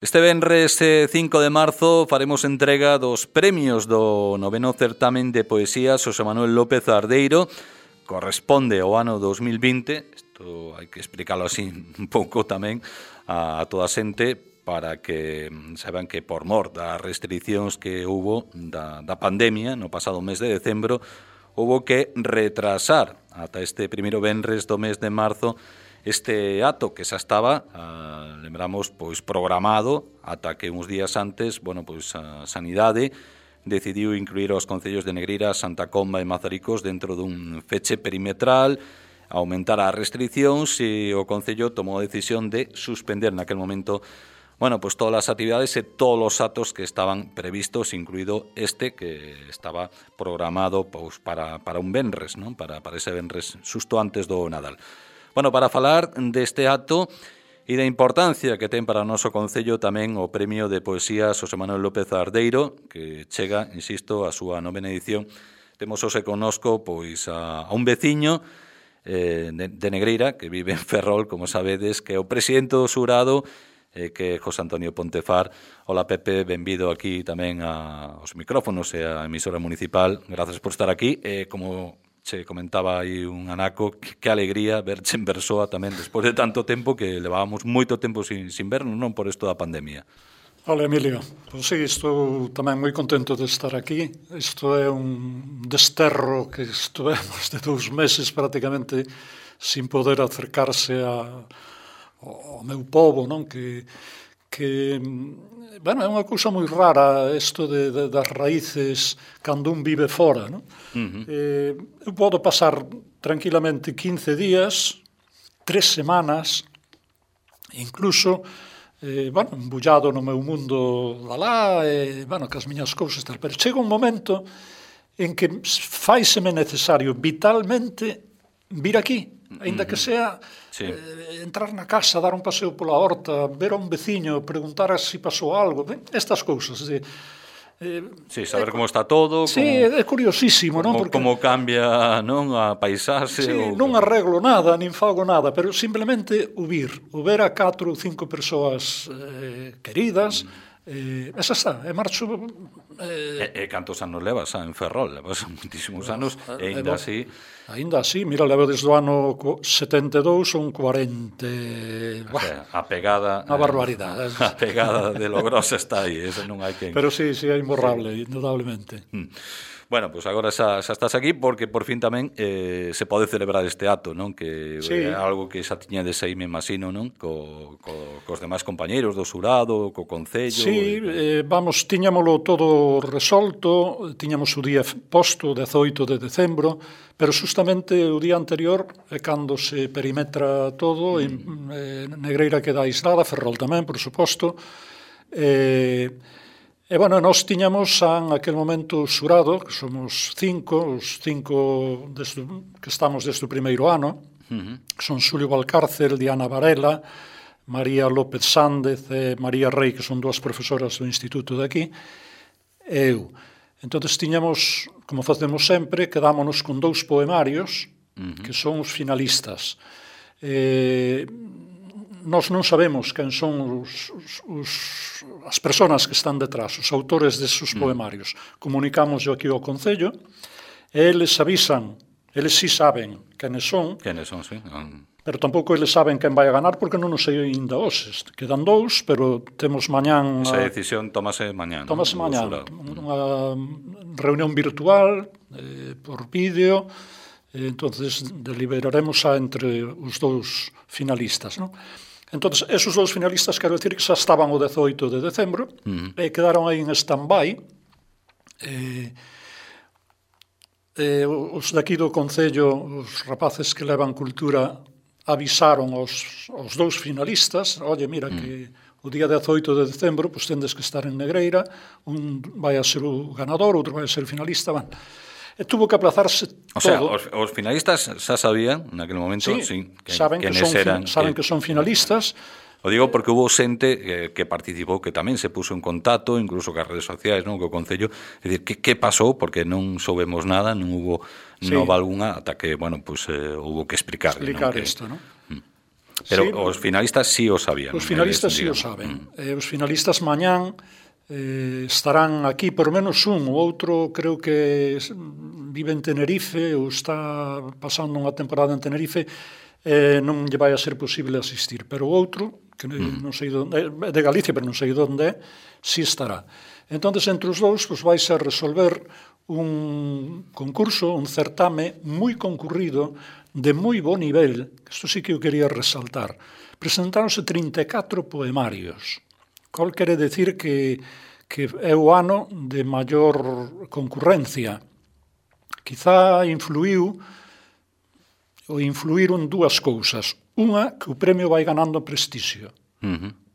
Este venres 5 de marzo faremos entrega dos premios do noveno certamen de poesía Xosé Manuel López Ardeiro. Corresponde ao ano 2020, isto hai que explicarlo así un pouco tamén a toda a xente para que saiban que por mor das restriccións que hubo da pandemia no pasado mes de decembro, hubo que retrasar ata este primeiro venres do mes de marzo este acto que xa estaba, lembramos, pois programado ata que uns días antes, pois a Sanidade decidiu incluir os concellos de Negreira, Santa Comba e Mazaricos dentro dun feche perimetral, aumentar as restriccións e o concello tomou a decisión de suspender naquel momento pois todas as actividades e todos os actos que estaban previstos, incluído este que estaba programado pois para un venres, non? Para ese venres xusto antes do Nadal. Para falar deste acto e da importancia que ten para o noso concello tamén o Premio de Poesía Xosé Manuel López Ardeiro, que chega, insisto, a súa novena edición. Temos hoxe connosco pois a un veciño de Negreira, que vive en Ferrol, como sabedes, que é o presidente do xurado, que é José Antonio Pontefar. Hola, Pepe, benvido aquí tamén aos micrófonos e á emisora municipal. Gracias por estar aquí. Como che comentaba aí un anaco, que alegría verche en persoa tamén despois de tanto tempo, que levábamos moito tempo sin vernos, non por isto da pandemia. Hola, Emilio. Pois sí, estou tamén moi contento de estar aquí. Isto é un desterro que estuvemos de 2 meses prácticamente sin poder acercarse ao meu povo, non? Que é unha cousa moi rara isto das raíces cando un vive fora, non? Eu podo pasar tranquilamente 15 días, 3 semanas, incluso embullado no meu mundo alá, cas miñas cousas tal, pero chega un momento en que faiseme necesario vitalmente vir aquí, aínda que sea entrar na casa, dar un paseo pola horta, ver a un veciño, preguntar se pasou algo, estas cousas. Saber como está todo. Sí, é curiosísimo, non? Como cambia, non, a paisaxe. Sí, non arreglo nada, nin fago nada, pero simplemente o ver a 4 ou 5 persoas queridas, esa está, e marcho. Cantos anos levas en Ferrol? Levas moitísimos anos, e ainda así. Ainda así, mira, levo desde o ano 72 son 40. A pegada. Unha barbaridade. A pegada de logrosa está aí, ese non hai que. Pero sí, é imborrable, indudablemente. Pois agora xa estás aquí porque por fin tamén se pode celebrar este acto, non? Que é algo que xa tiñades aí, me imagino, non? Cos demais compañeiros do xurado, co concello. Sí, tiñámolo todo resolto, tiñamos o día posto, 18 de decembro, pero justamente o día anterior é cando se perimetra todo, Negreira queda aislada, Ferrol tamén, por suposto, nós tiñamos en aquel momento xurado, que somos 5, os 5 que estamos desde o primeiro ano, que son Xulio Valcárcel, Diana Varela, María López Sández e María Rei, que son 2 profesoras do instituto de aquí, e eu. Entón, tiñamos, como facemos sempre, quedámonos con 2 poemarios, que son os finalistas. Nós non sabemos quen son as persoas que están detrás, os autores desos poemarios. Comunicamos aquí ao Concello, e eles avisan, eles sí saben quenes son, sí. Pero tampouco eles saben quen vai a ganar, porque non nos sei ainda hoxe. Quedan 2, pero temos mañán. Esa decisión tómase mañán. Tómase mañán. Unha reunión virtual, por vídeo, entonces deliberaremos entre os 2 finalistas, non? Entón, esos 2 finalistas, quero dicir que xa estaban o 18 de decembro, e quedaron aí en stand-by. Os daqui do Concello, os rapaces que levan cultura, avisaron aos 2 finalistas, oye, mira, que o día 18 de decembro pois tendes que estar en Negreira, un vai a ser o ganador, outro vai a ser o finalista, e tuvo que aplazarse todo. O sea, os finalistas xa sabían, naquele momento, saben que son finalistas. O digo porque hubo xente que participou, que tamén se puso en contacto, incluso cas redes sociais, non, co Concello, é dicir, que pasou, porque non soubemos nada, non hubo nova algunha, ata que, hubo que explicar isto, non? Pero sí, os finalistas sí o sabían. Os finalistas sí o saben. Os finalistas mañán estarán aquí, por menos un, o outro creo que vive en Tenerife ou está pasando unha temporada en Tenerife, non lle vai a ser posible asistir, pero o outro, que non sei onde, de Galicia, pero non sei onde, sí estará. Entón, entre os dous, pues, vais a resolver un concurso, un certame moi concurrido, de moi bo nivel, isto sí que eu quería resaltar. Presentáronse 34 poemarios, cal quere decir que é o ano de maior concurrencia. Quizá influíron dúas cousas. Unha, que o premio vai ganando prestixio.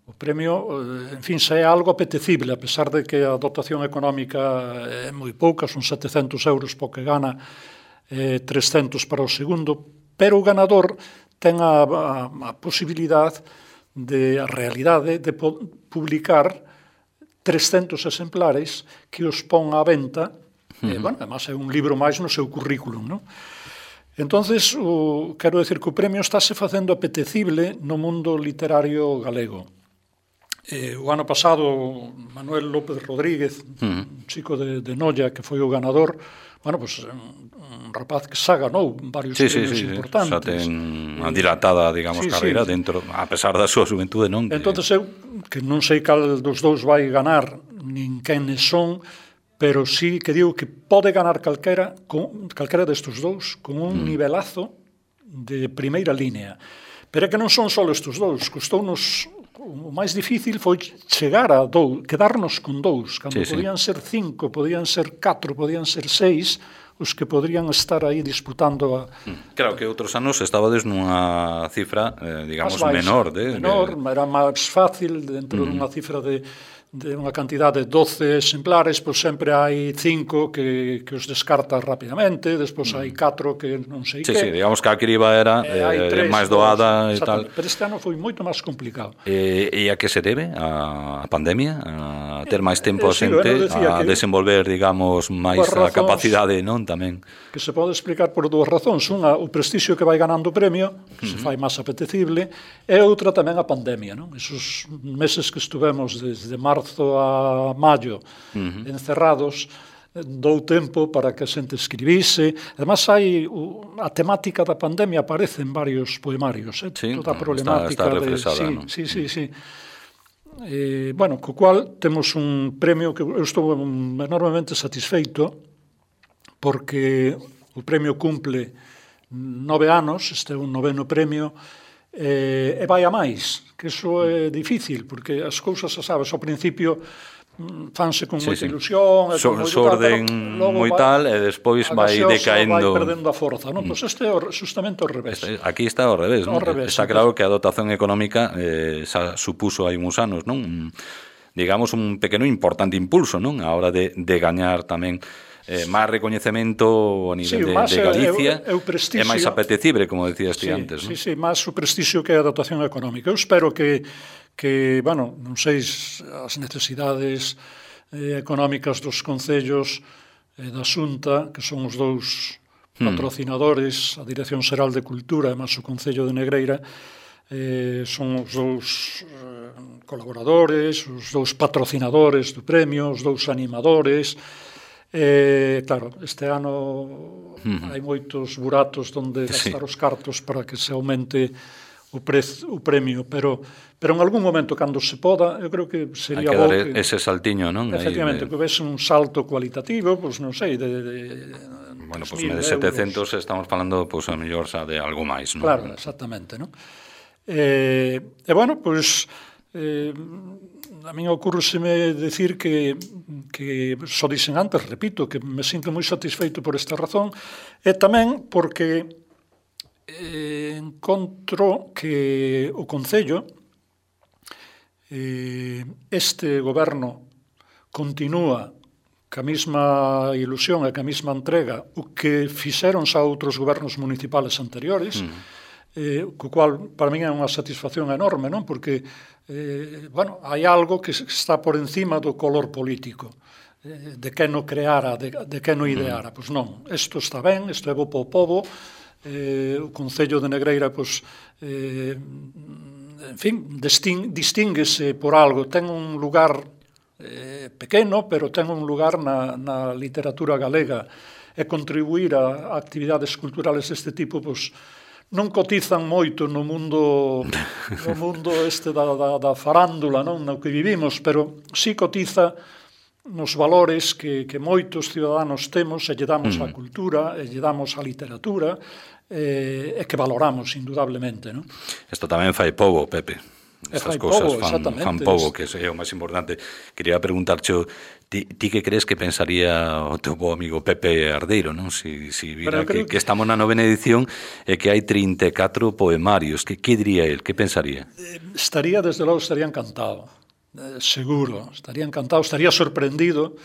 O premio, en fin, xa é algo apetecible, a pesar de que a dotación económica é moi pouca, son 700 euros para o que gana, 300 para o segundo, pero o ganador ten a posibilidade a realidade de publicar 300 exemplares que os pon á venta, bueno, además é un libro máis no seu currículum, non? Entonces, quero decir que o premio estáse facendo apetecible no mundo literario galego. O ano pasado, Manuel López Rodríguez, un chico de Noia, que foi o ganador, bueno, pues, un rapaz que xa ganou varios premios importantes. Xa ten unha dilatada, digamos, carreira dentro, a pesar da súa xuventude, non? Entonces eu, que non sei cal dos dous vai ganar, nin quenes son, pero sí que digo que pode ganar calquera destes dous, con un nivelazo de primeira línea. Pero é que non son só estes dous, custounos. O máis difícil foi chegar a quedarnos con dous, cando podían ser 5, podían ser 4, podían ser 6, os que podrían estar aí disputando Claro que outros anos estabades nunha cifra, digamos, menor. Era máis fácil, dentro dunha cifra de unha cantidad de 12 exemplares, pois sempre hai 5 que os descartas rapidamente, despois hai 4 que non sei que. Sí, digamos que a criba era máis doada e tal. Pero este ano foi moito máis complicado. E a que se debe? A pandemia? A ter máis tempo a xente? A desenvolver, digamos, máis a capacidade, non? Tamén. Que se pode explicar por dúas razóns. Unha, o prestixio que vai ganando o premio, que se fai máis apetecible, e outra tamén a pandemia, non? Esos meses que estuvemos desde marzo a maio encerrados, dou tempo para que a xente escribise. Además, a temática da pandemia aparece en varios poemarios, toda a problemática. Está reflexada, non? Sí. Bueno, co cual temos un premio que eu estou enormemente satisfeito, porque o premio cumple 9 anos, este é un 9º premio, e vai a máis, que iso é difícil, porque as cousas, sabes, ao principio fanse con moita ilusión, xorden moi tal, e despois vai decaendo, vai perdendo a forza, non? Pois este é justamente ao revés. Aquí está ao revés, non? Está claro que a dotación económica xa supuso hai uns anos, non? Digamos, un pequeno importante impulso, non? A hora de gañar tamén máis recoñecemento a nivel de Galicia, é máis apetecible, como decías ti antes. Sí, máis o prestixio que a dotación económica. Eu espero que bueno, non sei as necesidades económicas dos concellos da Xunta, que son os dous patrocinadores, a Dirección Xeral de Cultura e máis o Concello de Negreira, son os dous colaboradores, os dous patrocinadores do premio, os dous animadores. Claro, este ano hai moitos buratos onde gastar os cartos para que se aumente o premio, pero en algún momento, cando se poda, eu creo que sería bo que dar ese saltiño, non? Efectivamente, que houvese un salto cualitativo, pois non sei, bueno, pois de 700 estamos falando, pois a mellor xa de algo máis, non? Claro, exactamente, non? E bueno, pois a min ocurreseme decir que só dixen antes, repito, que me sinto moi satisfeito por esta razón, e tamén porque encontro que o Concello, este goberno continúa ca mesma ilusión e ca mesma entrega o que fixeron xa outros gobernos municipales anteriores, co cual para min é unha satisfacción enorme, non? Porque bueno, hai algo que está por encima do color político, de que no creara, de que no ideara. Pois non, isto está ben, isto é bo para o pobo, o Concello de Negreira, pois, en fin, distínguese por algo, ten un lugar pequeno, pero ten un lugar na literatura galega, e contribuir a actividades culturales deste tipo, pois, non cotizan moito no mundo este da farándula, non, no que vivimos, pero sí cotiza nos valores que moitos ciudadanos temos e lle damos á cultura, e lle damos á literatura, e que valoramos, indudablemente, non? Isto tamén fai pobo, Pepe. Estas cousas fan pobo, que é o máis importante. Quería preguntarche, ti que crees que pensaría o teu bo amigo Pepe Ardeiro, non? Si vira que estamos na 9ª edición e que hai 34 poemarios, que diría el? Que pensaría? Desde logo, estaría encantado. Seguro, estaría encantado, estaría sorprendido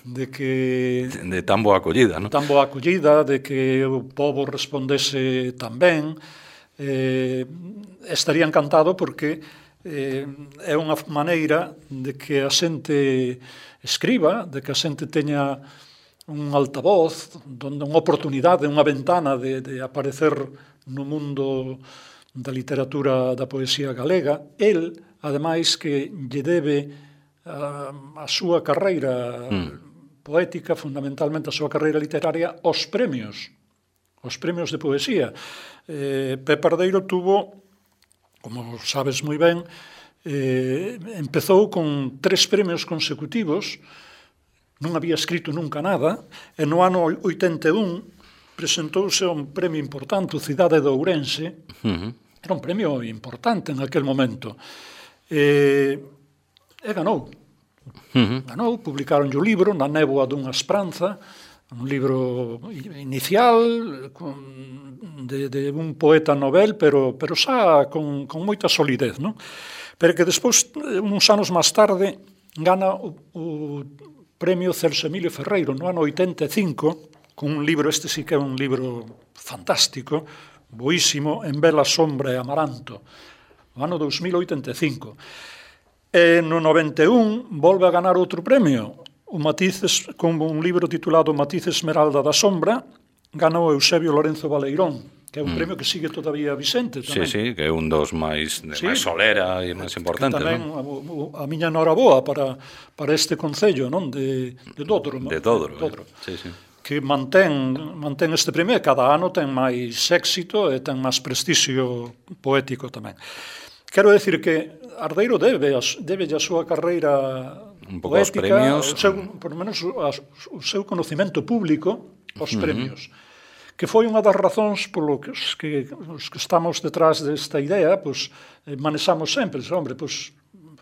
de que... De tan boa acollida, non? Tan boa acollida, de que o pobo respondese tan ben. Estaría encantado porque é unha maneira de que a xente escriba, de que a xente teña un altavoz, donde unha oportunidade, unha ventana de aparecer no mundo da literatura da poesía galega. El, ademais, que lle debe a súa carreira poética, fundamentalmente a súa carreira literaria, aos premios de poesía. Pepe Ardeiro tuvo, como sabes moi ben, empezou con 3 premios consecutivos, non había escrito nunca nada, e no ano 81 presentouse a un premio importante, o Cidade de Ourense, era un premio importante en aquel momento, e ganou. Ganou, publicaron o libro Na néboa dunha esperanza, un libro inicial de un poeta novel, pero xa con moita solidez, non? Pero que despois, uns anos máis tarde, gana o premio Celso Emilio Ferreiro no ano 85, con un libro, este sí que é un libro fantástico, boísimo, En vela, sombra e amaranto, no ano 2085. E no 91 volve a ganar outro premio, o Matices, con un libro titulado Matices Esmeralda da Sombra, ganou Eusebio Lorenzo Baleirón, que é un premio que sigue todavía vicente tamén. Sí, que é un dos máis solera e máis importantes. Tamén a miña noraboa para este concello, non? De Dodro. De Dodro. Sí. Que mantén este premio e cada ano ten máis éxito e ten máis prestixio poético tamén. Quero decir que Ardeiro debe a súa carreira un pouco poética, aos premios, por menos o seu conocimento público aos premios, que foi unha das razóns polo que os que estamos detrás desta idea, pois manexamos sempre,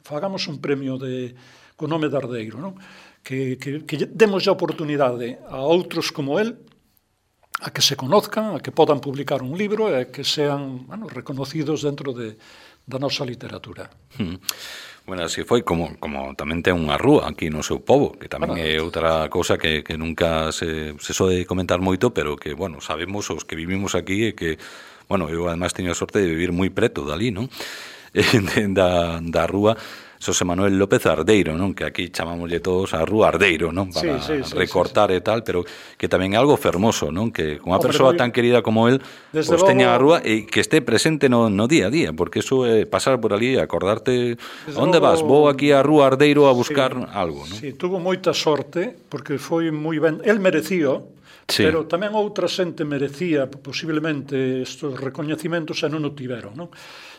fagamos un premio co nome de Ardeiro, non? Que demos a oportunidade a outros como el a que se conozcan, a que podan publicar un libro e que sean reconocidos dentro da nosa literatura. Bueno, así foi como tamén ten unha rúa aquí no seu pobo, que tamén é outra cousa que nunca se sode comentar moito, pero que, bueno, sabemos os que vivimos aquí e que, bueno, eu además teño a sorte de vivir moi preto dali, non? Da rúa Xosé Manuel López Ardeiro, non? Que aquí chamámoslle todos a Rúa Ardeiro, non? Para recortar e tal, pero que tamén é algo fermoso, non? Que unha persoa tan querida como él pois teña a rúa e que este presente no día a día, porque eso é pasar por ali e acordarte onde vas, vou aquí a Rúa Ardeiro a buscar algo, non? Sí, tuvo moita sorte, porque foi moi ben, el merecío, pero tamén outra xente merecía posiblemente estes recoñecimentos e non o tiveron, non?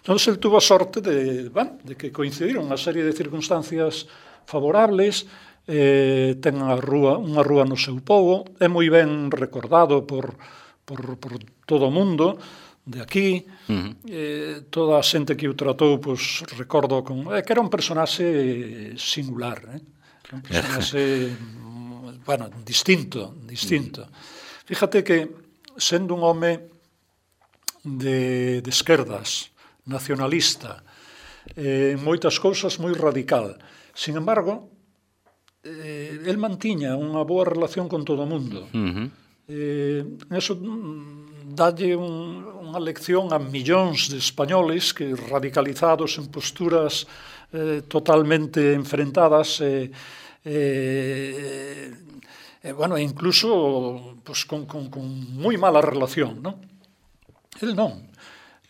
Entón, el tuvo a sorte de que coincidiron unha serie de circunstancias favorables, ten unha rúa no seu pobo, é moi ben recordado por todo o mundo de aquí, toda a xente que o tratou, pois, recordo que era un personaxe singular, un personaxe, distinto. Fíjate que, sendo un home de esquerdas, nacionalista, en moitas cousas moi radical. Sin embargo, el mantiña unha boa relación con todo o mundo. Eso dalle unha lección a millóns de españoles que radicalizados en posturas totalmente enfrentadas incluso con moi mala relación, non? El non.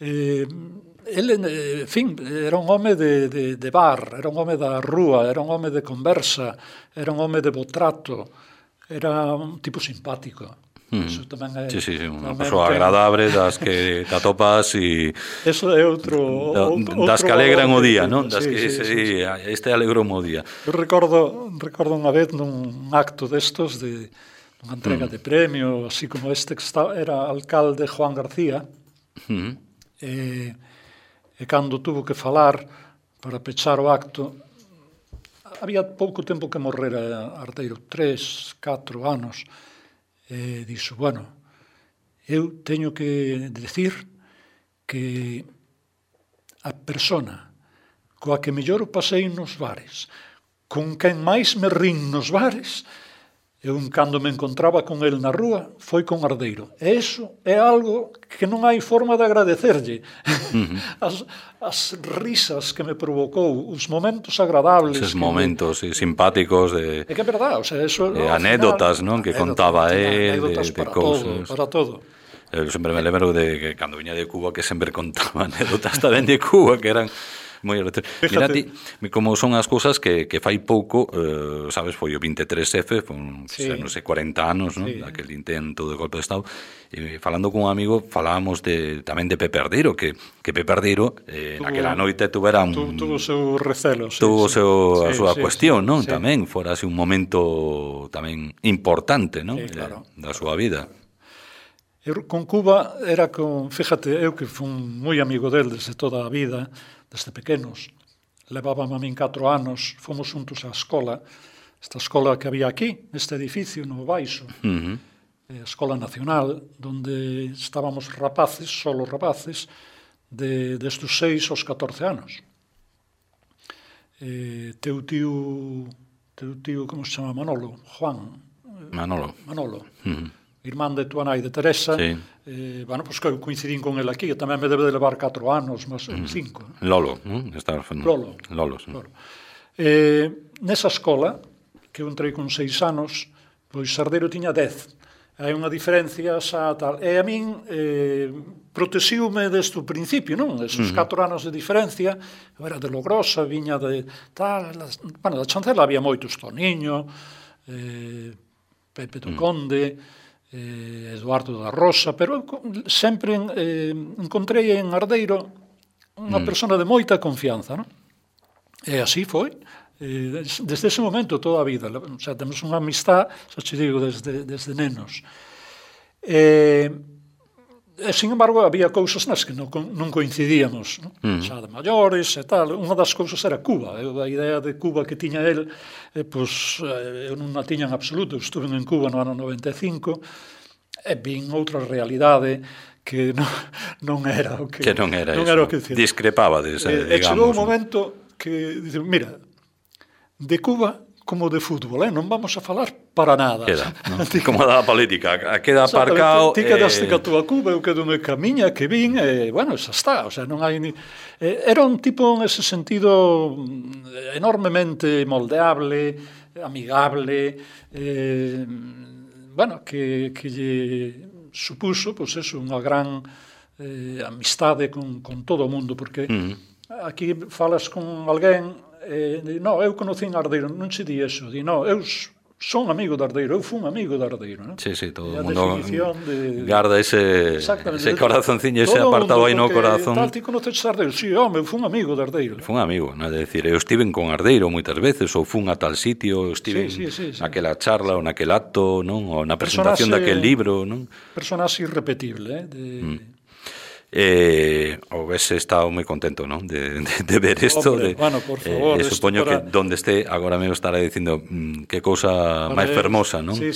En fin, era un home de bar, era un home da rúa, era un home de conversa, era un home de bo trato, era un tipo simpático. Eso tamén é, sí, unha persoa agradable das que te atopas e eso é outro das que alegran o día, non? Das que este alegrou o día. Eu recordo unha vez nun acto destos de unha entrega de premio, así como este que era alcalde Juan García. E cando tuvo que falar para pechar o acto, había pouco tempo que morrera Ardeiro, 3, 4 anos, e dixo, bueno, eu teño que decir que a persona coa que mellor o pasei nos bares, con quen máis me rin nos bares, eu, cando me encontraba con el na rúa, foi con Ardeiro. E iso é algo que non hai forma de agradecerlle. As risas que me provocou, os momentos agradables. Esos momentos simpáticos de... É que é verdade, o sea, eso... anécdotas, non? Que contaba de cousas. Para todo. Eu sempre me lembro de que cando viña de Cuba que sempre contaba anécdotas tamén de Cuba que eran... Mira ti, como son as cousas que fai pouco, sabes, foi o 23F, non sei, 40 anos, non? Daquel intento de golpe de Estado, e falando con un amigo falábamos tamén de Pepe Ardeiro, que Pepe Ardeiro naquela noite tuvera tuvo o seu recelo, tuvo a súa cuestión, non? Tamén fora así un momento tamén importante, non? Da súa vida. Eu con Cuba era fíjate, eu que fui moi amigo del desde toda a vida, desde pequenos, levábame a min 4 anos, fomos juntos á escola, esta escola que había aquí, neste edificio, no Baixo, a Escola Nacional, donde estábamos rapaces, solo rapaces, desde os 6 aos 14 anos. Teu tío, como se chama? Manolo, Juan. Manolo. Irmán de tua nai, de Teresa, bueno, pois que coincidín con el aquí, que tamén me debe de levar 4 anos, mas 5. Lolo, Lolo. Nesa escola, que eu entrei con 6 anos, pois Ardeiro tiña 10. Hai unha diferencia xa tal. E a min protexiume desde o principio, non? Esos 4 anos de diferencia, eu era de Logrosa, viña de tal, bueno, da Chancela había moitos, Toniño, Pepe do Conde, Eduardo da Rosa, pero sempre encontrei en Ardeiro unha persona de moita confianza, non? E así foi, desde ese momento toda a vida, o sea, temos unha amistad, xa te digo, desde nenos. Sin embargo, había cousas nas que non coincidíamos, xa de maiores e tal. Unha das cousas era Cuba. A idea de Cuba que tiña el, pois, eu non a tiña en absoluto. Estuve en Cuba no ano 95 e vin outra realidade que non era o que... Que non era iso. Discrepabades, digamos. E chegou un momento que, dicen, mira, de Cuba como de fútbol, non vamos a falar para nada. Queda, non? Como da política, queda aparcado... Ti quedaste ca túa Cuba, eu quedo ca miña que vin, e, bueno, xa está, o sea, non hai ni... Era un tipo, en ese sentido, enormemente moldeable, amigable, bueno, que lle supuso, pois eso, unha gran amistade con todo o mundo, porque aquí falas con alguén... no, eu conocín Ardeiro, non se di eso, eu son amigo de Ardeiro, eu fun amigo de Ardeiro, non? Sí, todo o mundo garda ese corazonciño, ese apartado aí no corazón. Tal, ti conoces Ardeiro? Sí, home, eu fun amigo de Ardeiro. Fun amigo, non é dicir, eu estiven con Ardeiro moitas veces, ou fun a tal sitio, eu estiven naquela charla ou naquel acto, non? Ou na presentación daquel libro, non? Personaxe irrepetible, o ves estado moi contento, non? De ver isto. Bueno, por favor, supoño que donde este agora me estará dicindo que cousa máis fermosa, non? Sí,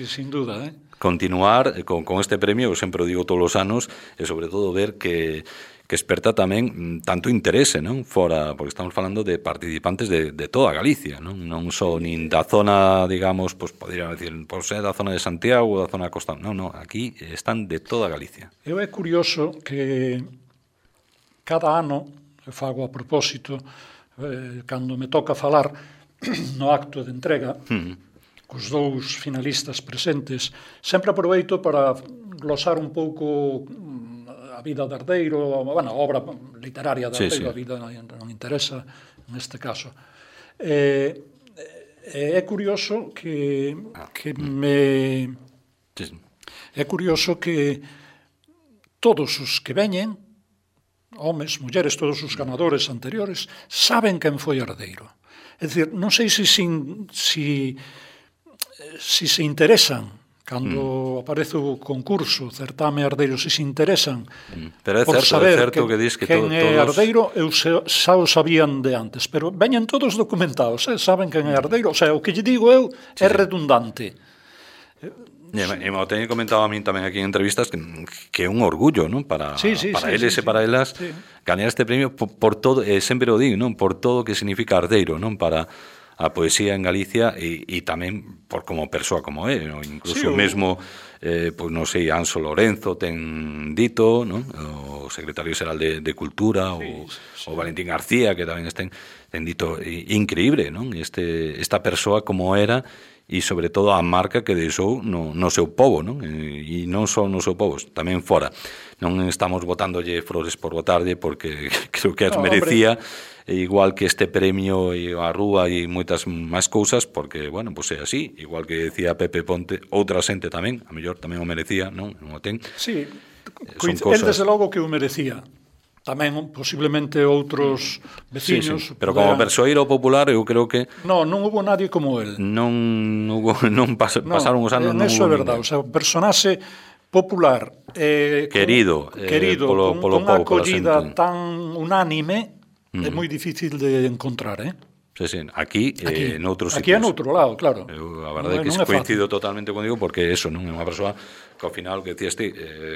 sin duda, continuar con este premio, eu sempre o digo todos os anos, e sobre todo ver que esperta tamén tanto interese, non? Fora, porque estamos falando de participantes de toda Galicia, non só nin da zona, digamos, pois poderíamos decir, por ser da zona de Santiago ou da zona da costa, non, aquí están de toda Galicia. Eu é curioso que cada ano, eu fago a propósito, cando me toca falar no acto de entrega, cos 2 finalistas presentes, sempre aproveito para glosar un pouco a a vida de Ardeiro, a obra literaria de Ardeiro, a vida non interesa neste caso. É curioso que é curioso que todos os que veñen, homes, mulleres, todos os ganadores anteriores, saben quen foi Ardeiro. É dicir, non sei se se interesan cando aparece o concurso, certame Ardeiro, se interesan por saber quen é Ardeiro, eu xa o sabían de antes, pero veñen todos documentados, saben quen é Ardeiro, o sea, o que lle digo eu é redundante. E me teño comentado a min tamén aquí en entrevistas que é un orgullo, non? Para eles e para elas gañar este premio por todo, sempre o digo, non? Por todo o que significa Ardeiro, non? Para a poesía en Galicia e tamén por como persoa como é, non? Incluso mesmo pois non sei, Anso Lorenzo ten dito, non? O secretario xeral de Cultura, o Valentín García, que tamén ten dito increíble, non? Esta persoa como era e sobre todo a marca que deixou no seu pobo, non? E non só no seu povo, tamén fora. Non estamos botándolle flores por botarlle, porque creo que as merecía, igual que este premio e a Rúa e moitas máis cousas, porque, bueno, pois é así, igual que decía Pepe Ponte, outra xente tamén, a mellor tamén o merecía, non o ten. Sí, el desde logo que o merecía. Tamén, posiblemente, outros veciños... Sí. Pero como persoeiro popular, eu creo que... Non hubo nadie como él. Pasaron os anos, non hubo verdade. O sea, un personaxe popular, querido con unha acollida tan unánime, é moi difícil de encontrar, Sí, aquí noutros sitios. Aquí é noutro lado, claro. A verdade é que coincido totalmente contigo, porque eso, non é unha persoa que ao final, que decías ti,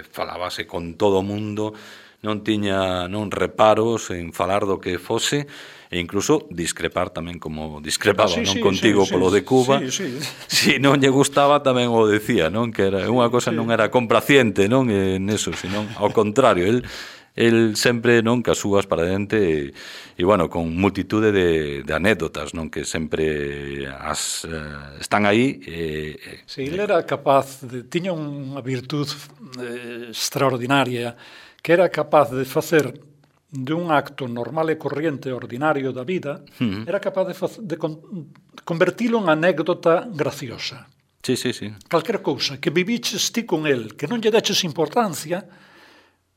falábase con todo o mundo, non tiña reparos en falar do que fose, e incluso discrepar tamén como discrepaba contigo polo de Cuba. Si non lle gustaba tamén o decía, non? Que era unha cosa, non era complaciente, non? En eso, senón ao contrario, el sempre, non, que as súas para dente e bueno, con multitude de anécdotas, non, que sempre están aí. Sí, ele era capaz tiña unha virtud extraordinaria, que era capaz de facer de un acto normal e corriente ordinario da vida, era capaz de convertilo en anécdota graciosa. Sí. Calquera cousa, que viviches ti con el, que non lle deches importancia,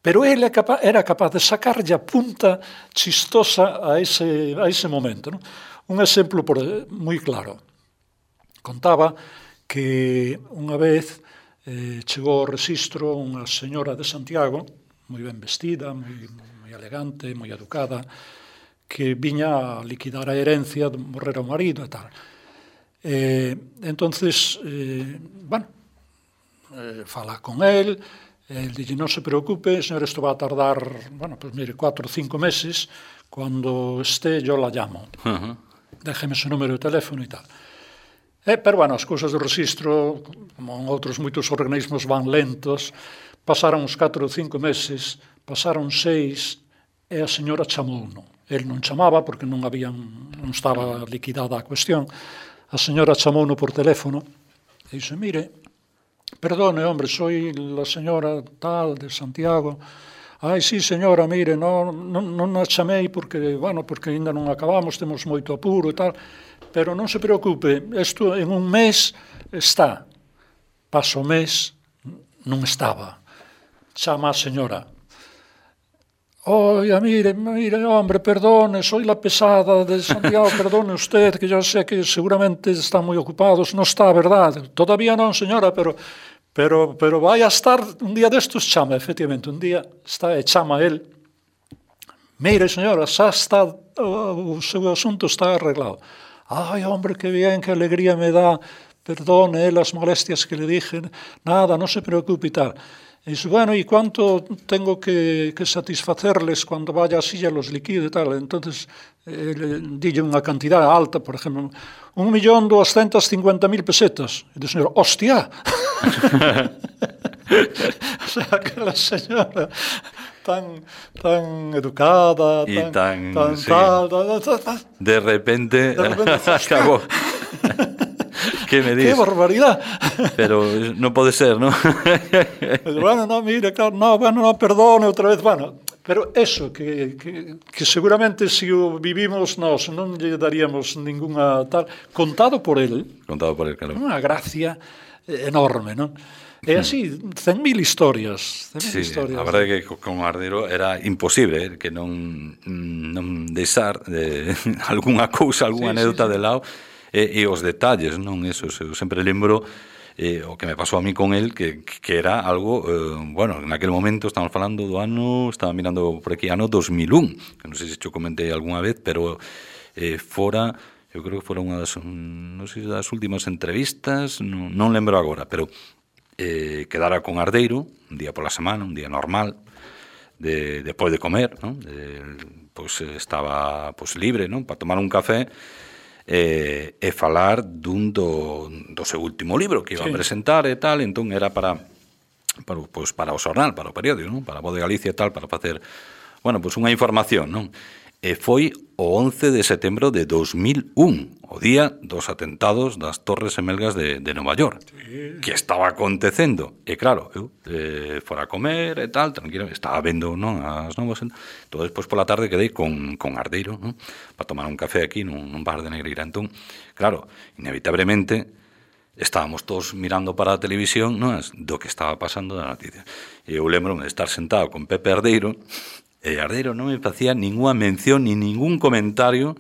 pero ele era capaz de sacarlle a punta chistosa a ese momento. Non? Un exemplo moi claro. Contaba que unha vez chegou ao rexistro unha señora de Santiago, moi ben vestida, moi elegante, moi educada, que viña a liquidar a herencia de morrer ao marido e tal. Entonces, fala con él dille, non se preocupe, señor, isto va a tardar, pues mire, 4 o 5 meses, cuando esté yo la llamo. Déjeme su número de teléfono e tal. Pero, as cousas do rexistro, como en outros moitos organismos, van lentos. Pasaron uns 4 ou 5 meses, pasaron 6, e a señora chamouno. El non chamaba porque non estaba liquidada a cuestión. A señora chamouno por teléfono e dixo, mire, perdone, hombre, soy la señora tal de Santiago. Ai, sí, señora, mire, non a chamei porque ainda non acabamos, temos moito apuro e tal, pero non se preocupe, isto en un mes está. Paso o mes, non estaba. Chama a señora. Oiga, mire, hombre, perdone, soy la pesada de Santiago, perdone usted, que yo sé que seguramente están muy ocupados, no está, ¿verdad? Todavía non, señora, pero vai a estar un día destos, chama, efectivamente, un día está e chama el. Mire, señora, xa está, o seu asunto está arreglado. Ai, hombre, que bien, que alegría me da, perdone las molestias que le dije, nada, no se preocupe y tal. Y dice, bueno, ¿y cuánto tengo que satisfacerles cuando vaya así ya los liquide y tal? Entonces, dije una cantidad alta, por ejemplo, 1.250.000 pesetas. Y dice, señor, ¡hostia! O sea, que la señora tan educada, tan de repente acabó. Que me dis? Que barbaridad. Pero non pode ser, non? Bueno, no, mire, claro, no, bueno, no, perdone outra vez, bueno, pero eso, que seguramente se o vivimos nós non lle daríamos ninguna tal, contado por él, Claro. unha gracia enorme, non? E así, 100.000 historias. Sí, a verdade é que con Ardeiro era imposible que non deixar algunha cousa, algunha anécdota de lado e os detalles, non? Eso, eu sempre lembro o que me pasou a mí con él, que era algo, bueno, en aquel momento estamos falando do ano, estaba mirando por aquí, ano 2001, que non sei se yo comentei algunha vez, pero fora, eu creo que fora unha das, non sei se das últimas entrevistas, non lembro agora, pero quedara con Ardeiro un día pola semana, un día normal, despois de comer, non? Pois estaba libre, non? Para tomar un café e falar dun do seu último libro que iba a presentar e tal, entón era para o xornal, para o periódico, non? Para a Voz de Galicia e tal, para facer, bueno, pois unha información, non? E foi o 11 de setembro de 2001, o día dos atentados das Torres Gemelgas de Nova York, que estaba acontecendo. E claro, eu fora a comer e tal, tranquilo, estaba vendo, non, as novas. Todo despois pola tarde quedei con Ardeiro, non? Para tomar un café aquí nun bar de Negreira. Entón, claro, inevitablemente estábamos todos mirando para a televisión, non, do que estaba pasando da noticia. E eu lembro-me de estar sentado con Pepe Ardeiro, e Ardeiro non me facía ninguna mención ni ningún comentario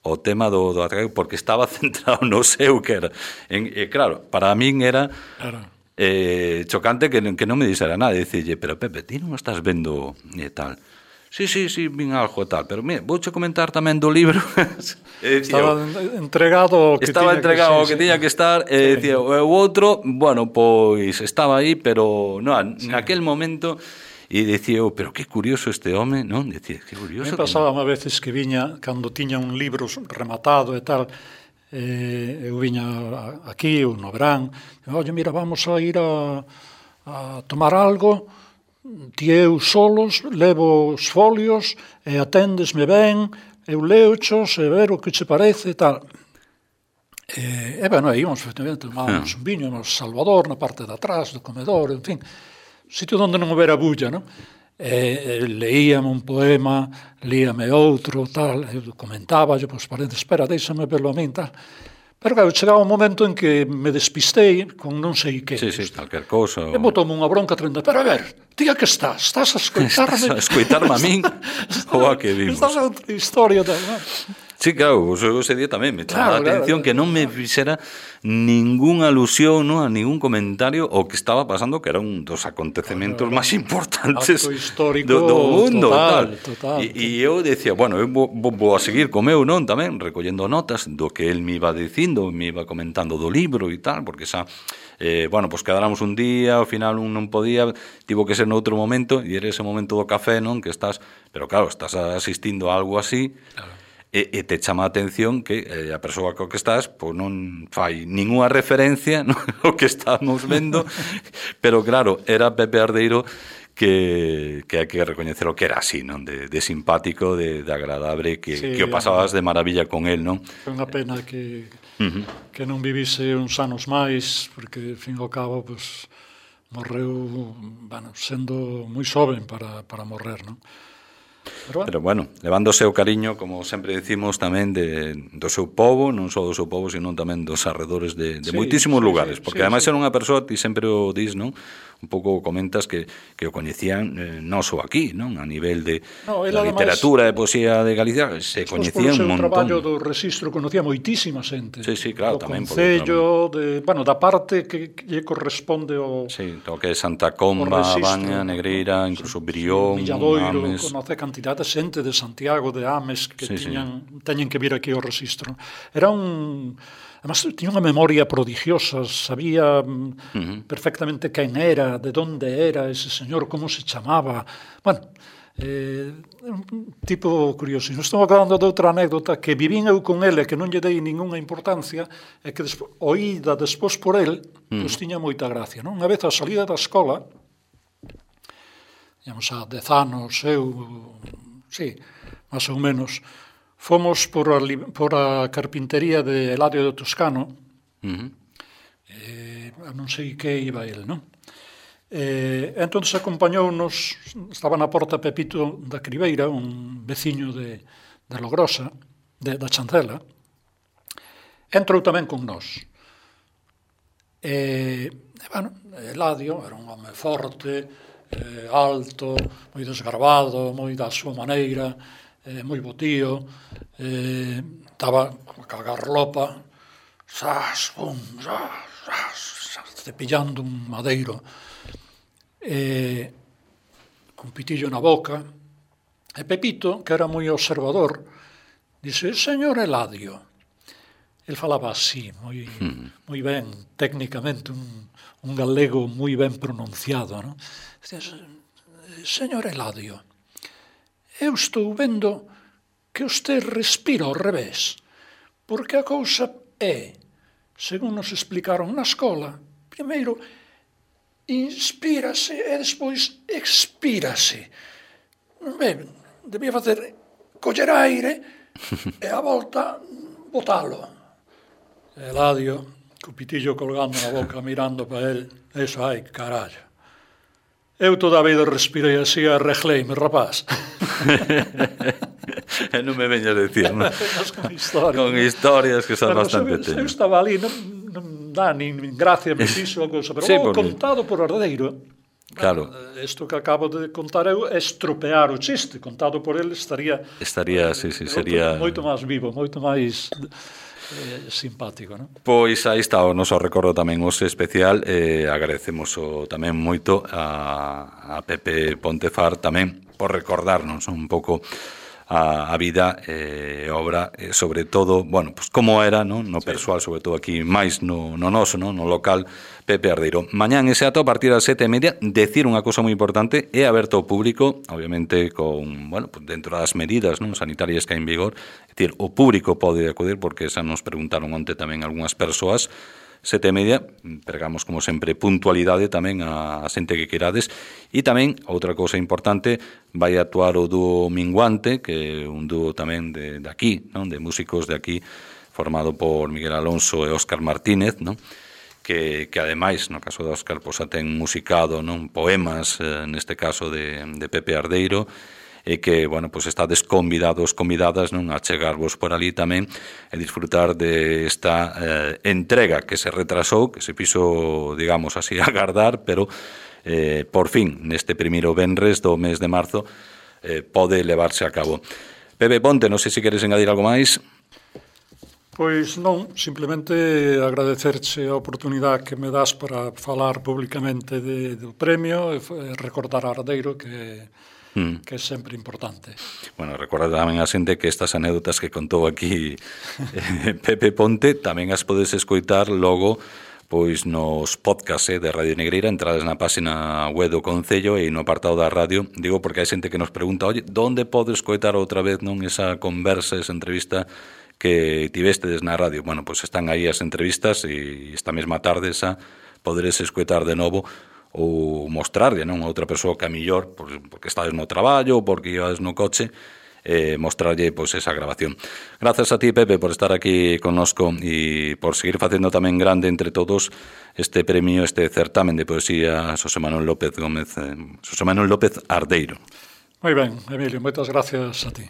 ao tema do ataque, porque estaba centrado no seu, que era. E claro, para min era chocante que non me dixera nada, e dicille, pero Pepe, ti non estás vendo e tal? Sí, vin algo e tal, pero mira, vouche comentar tamén do libro. Estaba entregado ao que tiña que estar, e dicía, o outro, bueno, pois estaba aí, pero naquel momento. E dicía eu, pero que curioso este home, non? Dicía, que curioso. Me pasaba a veces que viña, cando tiña un libro rematado e tal, eu viña aquí, ou no verán, oye, mira, vamos a ir a tomar algo, ti eu solos, levo os folios, e aténdesme ben, eu leochos, e ver o que che parece e tal. E bueno, íbamos, efectivamente, tomábamos un viño no Salvador, na parte de atrás do comedor, en fin, sitio onde non houbera bulla, non? Leíame un poema, líame outro, tal, eu comentaba, pois, espera, deixame verlo a min, tal. Pero, claro, chegaba un momento en que me despistei con non sei que. Sí, calquer cousa. E botoume unha bronca tremenda. Pero, a ver, tía que estás a escoitarme? Estás a escoitarme a min? Ou a que vimos? Estás a outra historia, tal, non? Sí, claro, ese día tamén me chamaba a atención que non me fixera ninguna alusión, a ningún comentario o que estaba pasando, que era un dos acontecementos máis importantes do mundo. Total. E eu decía, bueno, eu vou a seguir co meu, non, tamén, recollendo notas do que el me iba dicindo, me iba comentando do libro e tal, porque xa, bueno, pues quedáramos un día, ao final un non podía, tivo que ser noutro momento, e era ese momento do café, non, que estás, pero claro, estás asistindo a algo así, claro. E te chama a atención que a persoa co que estás pois non fai ninguna referencia ao que estamos vendo, pero claro, era Pepe Ardeiro que hai que recoñecer o que era así, non? De simpático, de agradable, que o pasabas de maravilla con él, non? Foi unha pena que non vivise uns anos máis, porque, ao fin e ao cabo, pues, morreu, bueno, sendo moi xoven para morrer, non? Pero bueno, levando o seu cariño, como sempre decimos, tamén do seu povo, non só do seu povo, sino tamén dos arredores de moitísimos lugares, porque ademais era unha persoa, ti sempre o dis, non? Un pouco comentas que o coñecían non só aquí, non? A nivel de literatura e poesía de Galicia, se coñecían un montón. O traballo do registro conocía moitísima xente. Sí, claro, tamén. O Concello, da parte que lle corresponde ao... Sí, o que é Santa Comba, Baña, Negreira, incluso Brión, Milladoiro, Ames. conoce cantidad de xente de Santiago, de Ames, que teñen que vir aquí ao registro. Era un... Además, tiña unha memoria prodigiosa, sabía perfectamente quen era, de onde era ese señor, como se chamaba. Bueno, un tipo curioso. Estou acabando de outra anécdota que vivín eu con ele, que non lle dei ninguna importancia, e que oída despois por el, pois tiña moita gracia. Non? Unha vez a salida da escola, digamos, a 10 anos, máis ou menos, fomos por a carpintería de Eladio de Toscano, Non sei que iba el, non? Entón acompañounos, estaba na porta Pepito da Cribeira, un veciño de Logrosa, da Chancela, entrou tamén con nós. Eladio era un home forte, alto, moi desgarbado, moi da súa maneira, moi botío, estaba a cagar lopa, cepillando un madeiro, con pitillo na boca. E Pepito, que era moi observador, dise: señor Eladio. El falaba así, moi ben, técnicamente, un galego moi ben pronunciado, non? Señor Eladio, eu estou vendo que usted respira ao revés, porque a cousa é, según nos explicaron na escola, primeiro inspírase e despois expírase. Ben, debía facer coller aire e a volta botalo. Eladio, co pitillo colgando na boca, mirando para el, eso, ai, carallo. Eu toda a vida respirei así e arregleime, rapaz. Non me veñas a decir, non? Con historias que son bastante teñas. Eu estaba ali, non dá nin gracia me fixo a cousa, pero contado por Ardeiro. Claro. Isto que acabo de contar eu é estropear o chiste, contado por ele estaría, sería moito máis vivo, moito máis simpático, non? Pois aí está o noso recordo tamén hoxe especial, agradecemos tamén moito a Pepe Pontefar tamén por recordarnos un pouco a vida e obra, sobre todo, bueno, pues como era, no persoal, sobre todo aquí máis no noso, no local, Pepe Ardeiro. Mañán ese ato a partir das 7:30, decir unha cousa moi importante, é aberto ao público, obviamente con, bueno, pues dentro das medidas sanitarias que hai en vigor, é dicir, o público pode acudir, porque xa nos preguntaron onte tamén algunhas persoas. 7:30, pregamos como sempre puntualidade tamén a xente que querades, e tamén outra cousa importante, vai actuar o dúo Minguante, que é un dúo tamén de aquí, non? De músicos de aquí, formado por Miguel Alonso e Óscar Martínez, non? Que ademais, no caso de Óscar, pois ten musicado, non, poemas, neste caso de Pepe Ardeiro, e que, bueno, pues estades convidados, convidadas, non, a chegarvos por ali tamén e disfrutar de esta entrega que se retrasou, que se fixo, digamos así, agardar, pero por fin, neste primeiro venres do mes de marzo, pode levarse a cabo. Pepe Ponte, non sei se queres engadir algo máis. Pois non, simplemente agradecerche a oportunidade que me das para falar públicamente do premio e recordar a Ardeiro que é sempre importante. Bueno, recordar tamén a xente que estas anécdotas que contou aquí Pepe Ponte tamén as podes escoitar logo pois nos podcasts de Radio Negreira, entrades na página web do Concello e no apartado da radio. Digo porque hai xente que nos pregunta, oye, onde podes escoitar outra vez non esa conversa, esa entrevista que tivestedes na radio? Bueno, pois están aí as entrevistas e esta mesma tarde xa poderes escoitar de novo ou mostrarlle, non, a outra persoa que a millor, porque estades no traballo ou porque ibas no coche, mostrarlle pois esa grabación. Grazas a ti, Pepe, por estar aquí connosco e por seguir facendo tamén grande entre todos este premio, este certamen de poesía Xosé Manuel López Ardeiro. Moi ben, Emilio, moitas gracias a ti.